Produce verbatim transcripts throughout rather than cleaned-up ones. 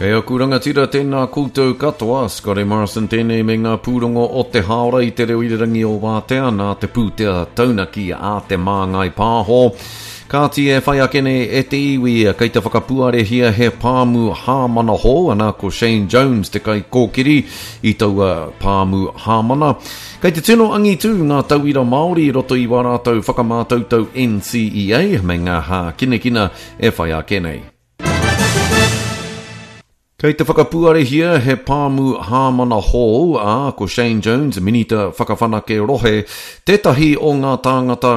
Kei aku rangatira tēnā koutou katoa, Scotty Morrison tēnei me ngā pūrongo o te hāora i te reo irirangi o Wātea nā te pūtea taunaki a Te Māngai Pāho. Kāti e whai ake nei e te iwi kei te whakapuarehia he pāmu hāmana hou, ana ko Shane Jones te kaikōkiri i taua pāmu hāmana. Kei te tino angitū ngā tauira Māori i roto i wā rātou whakamātautau N C E A me ngā hākinakina e whai ake nei. Kei te whakapuarehia he pāmu hāmana hou, ā, ko Shane Jones, Minita Whakawhanake Rohe, tētahi o ngā tāngata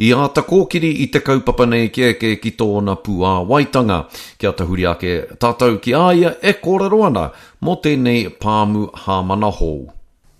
i āta kōkiri i te kaupapa nei kia eke ki tōna puāwaitanga. Kia tahuri ake tātou ki a ia e kōrero ana mō tēnei pāmu hāmana hou.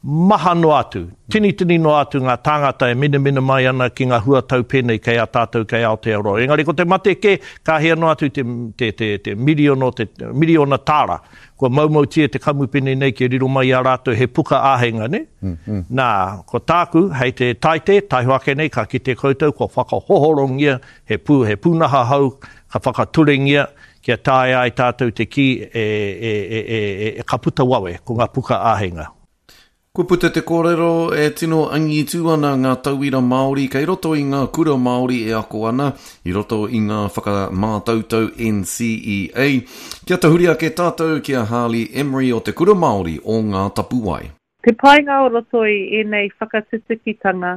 Maha noa atu, tini tini noa atu ngā tāngata e minamina mai ana ki ngā huatau pēnei kei a tātou kei Aotearoa. Engari ko te mate kē, ka hea noa atu te, te, te, te, miriono, te miriona tāra. Kua maumautia te kamupene nei kia riro mai i a rātou he puka āheinga, ne? Mm, mm. Nā, ko tāku, hei te taite, taiho ake nei, ka kite koutou, kua whakahohorongia, he pū, he pūnaha hau, ka whakaturengia, kia taea ai tātou te kī e, e, e, e, e, e ka puta wawe, ko ngā puka āheinga. Kua puta te kōrero e tino angitū ana ngā tauira Māori kei roto i ngā kura Māori e ako ana, i roto i ngā whakamātautau N C E A. Kia tahuri ake tātou ki a Harley Emery o te Kura Māori o Ngā Tapuwae. Te painga o roto i ēnei whakatutukitanga,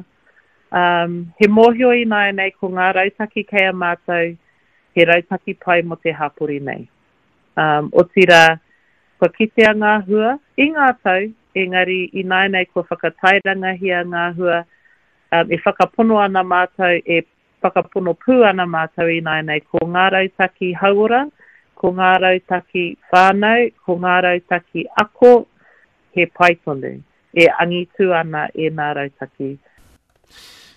um, he mōhio ināianei ko ngā rautaki kei a mātou, he rautaki pai mō te hapori nei. Um, otirā, kua kitea ngā hua i ngā tau, engari ināianei kua whakatairangahia ngā hua, um, e whakapono ana mātou, e whakapono pū ana mātou ināianei ko ngā rautaki hauora, ko ngā rautaki whānau, ko ngā rautaki ako, he pai tonu, e angitu ana e ngā rautaki.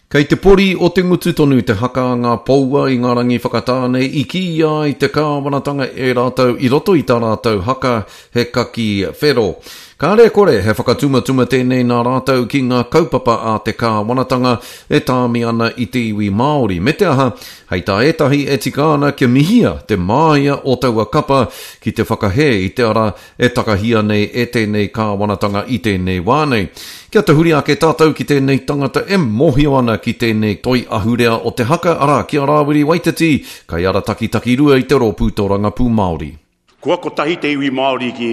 Kei te pori o te ngutu tonu te haka a ngā poua i ngā rangi whakatāne i kīia ai te kāwanatanga e rātou i roto i tā rātou haka he kaki whero. Kāre kore he whakatumatuma tēnei nā rātou ki ngā kaupapa a te kāwanatanga e tāmi ana i te iwi Māori. Me te aha, hei tā ētahi e tika ana kia mihia te māia o taua kapa ki te whakahē i te ara e takahia nei e tēnei kāwanatanga i tēnei wā nei. Kia tahuri ake tātou ki tēnei tangata e mōhio ana ki tēnei toi ahurea o te haka, arā, ki a Rāwiri Waititi, kai ara takitaki rua i te rōpū tōrangapū Māori. Kua kotahi te iwi Māori ki,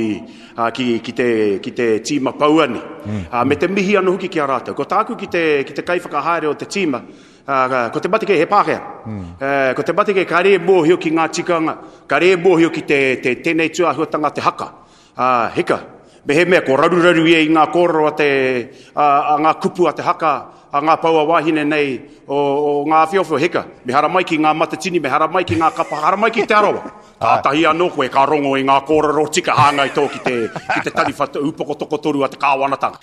a, ki, ki, te, ki te tīma pouani. Mm. A, me te mihi anō hoki ki a rātou. Ko tāku ki te, ki te kaiwhakahaere o te tīma, a, ko te mate kē he Pākehā. Mm. E, ko te mate kē ka re mōhio ki ngā tikanga, ka re mōhio ki te, te, tēnei tūāhuatanga te haka. A, hika, me he mea ko raruraru ia i ngā kōrero a te, a, a ngā kupu a te haka, a ngā paua wāhine nei o, o ngā awhiowhio, hika. Me haramai ki ngā matatini, me haramai ki ngā kapa, haramai ki te arawa. Kātahi anō koe ka rongo i ngā kōrero tika hāngai tō ki te, ki te tariwha upoko tokotoru a te kāwanatanga.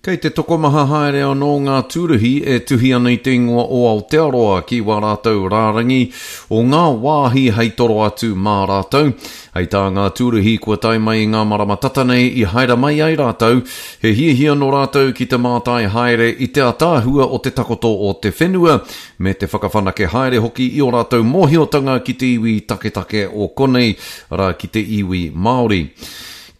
Kei te tokomaha haere anō ngā tūruhi e tuhi ana i te ingoa o Aotearoa ki wā rātou rārangi o ngā wāhi hei toro atu mā rātou. Hei tā ngā tūruhi kua tae mai i ngā marama tata nei i haere mai ai rātou, he hiahia nō rātou ki te mātai haere i te ataahua o te takoto o te whenua, me te whakawhanake haere hoki i o rātou mōhiotanga ki te iwi taketake o konei, arā ki te iwi Māori.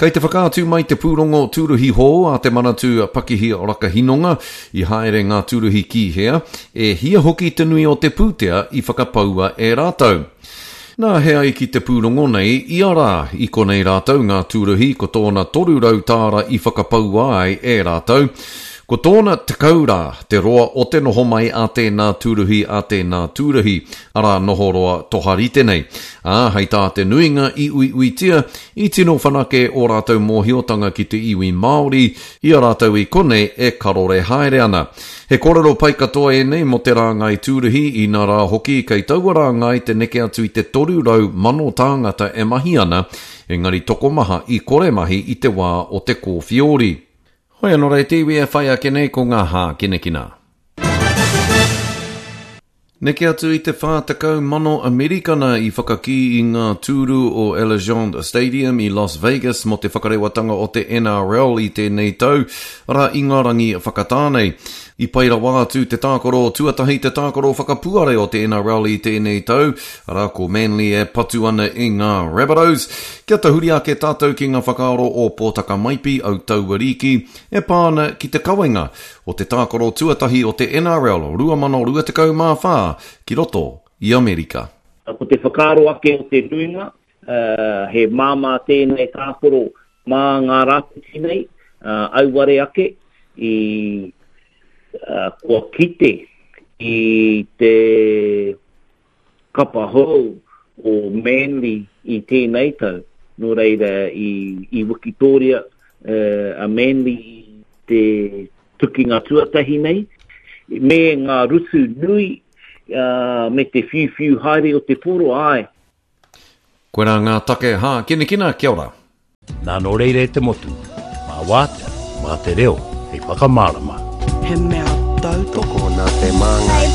Kei te whakaatu mai te pūrongo tūruhi hou a te Manatū Pakihi Rakahinonga i haere ngā tūruhi ki hea, e hia hoki te nui o te pūtea i whakapaua e rātou. Nā he ai ki te pūrongo nei, i a rā, i konei rātou ngā tūruhi ko tōna toru rau tāra i whakapaua ai e rātou. Ko tōna tekau rā, te roa o te noho mai a tēnā tūruhi a tēnā tūruhi, arā noho roa toharite nei. Ā, hei tā te nuinga i uiuitia, i tino whanake o rātou mōhiotanga ki te iwi Māori, i a rātou i konei e karore haere ana. He kōrero pai katoa ēnei mō te rāngai tūruhi, inā rā hoki kei taua rāngai te neke atu i te toru rau mano tāngata e mahi ana, engari tokomaha i kore mahi i te wā o te kōwhiori. Hoi anō rei te iwi e whai ake nei ko ngā hākinakina. Neke atu i te whā tekau mano Amerikana i whakakī i ngā tūru o Allegiant Stadium i Las Vegas mō te whakarewatanga o te N R L i tēnei tau, arā i ngā rangi whakatānei. I pai rawa atu te tākaro tuatahi te tākaro whakapuare o te N R L i tēnei tau, arā ko Manly e patu ana i ngā Rabbitohs. Kia tahuri ake tātou ki ngā whakaaro o Pōtaka Maipi Autauariki e pā ana ki te kawenga o te tākaro tuatahi o te N R L rua mano rua tekau mā whā ki roto i Amerika. Ko te whakaaro ake o te nuinga, uh, he māmā tēnei tākaro mā ngā rāpiti nei, uh, auware ake i uh, kua kite i te kapa hou o Manly i tēnei tau. Nō reira i, i Wikitoria uh, a Manly i te tukinga tuatahi nei, me ngā rutu nui uh, me te whiuwhiu haere o te poro, ai. Koirā ngā take hākinakina, kia ora. Nā nō reira e te motu, mā wātea, mā te reo, hei whakamārama. He mea tautoko Tokona te māngai.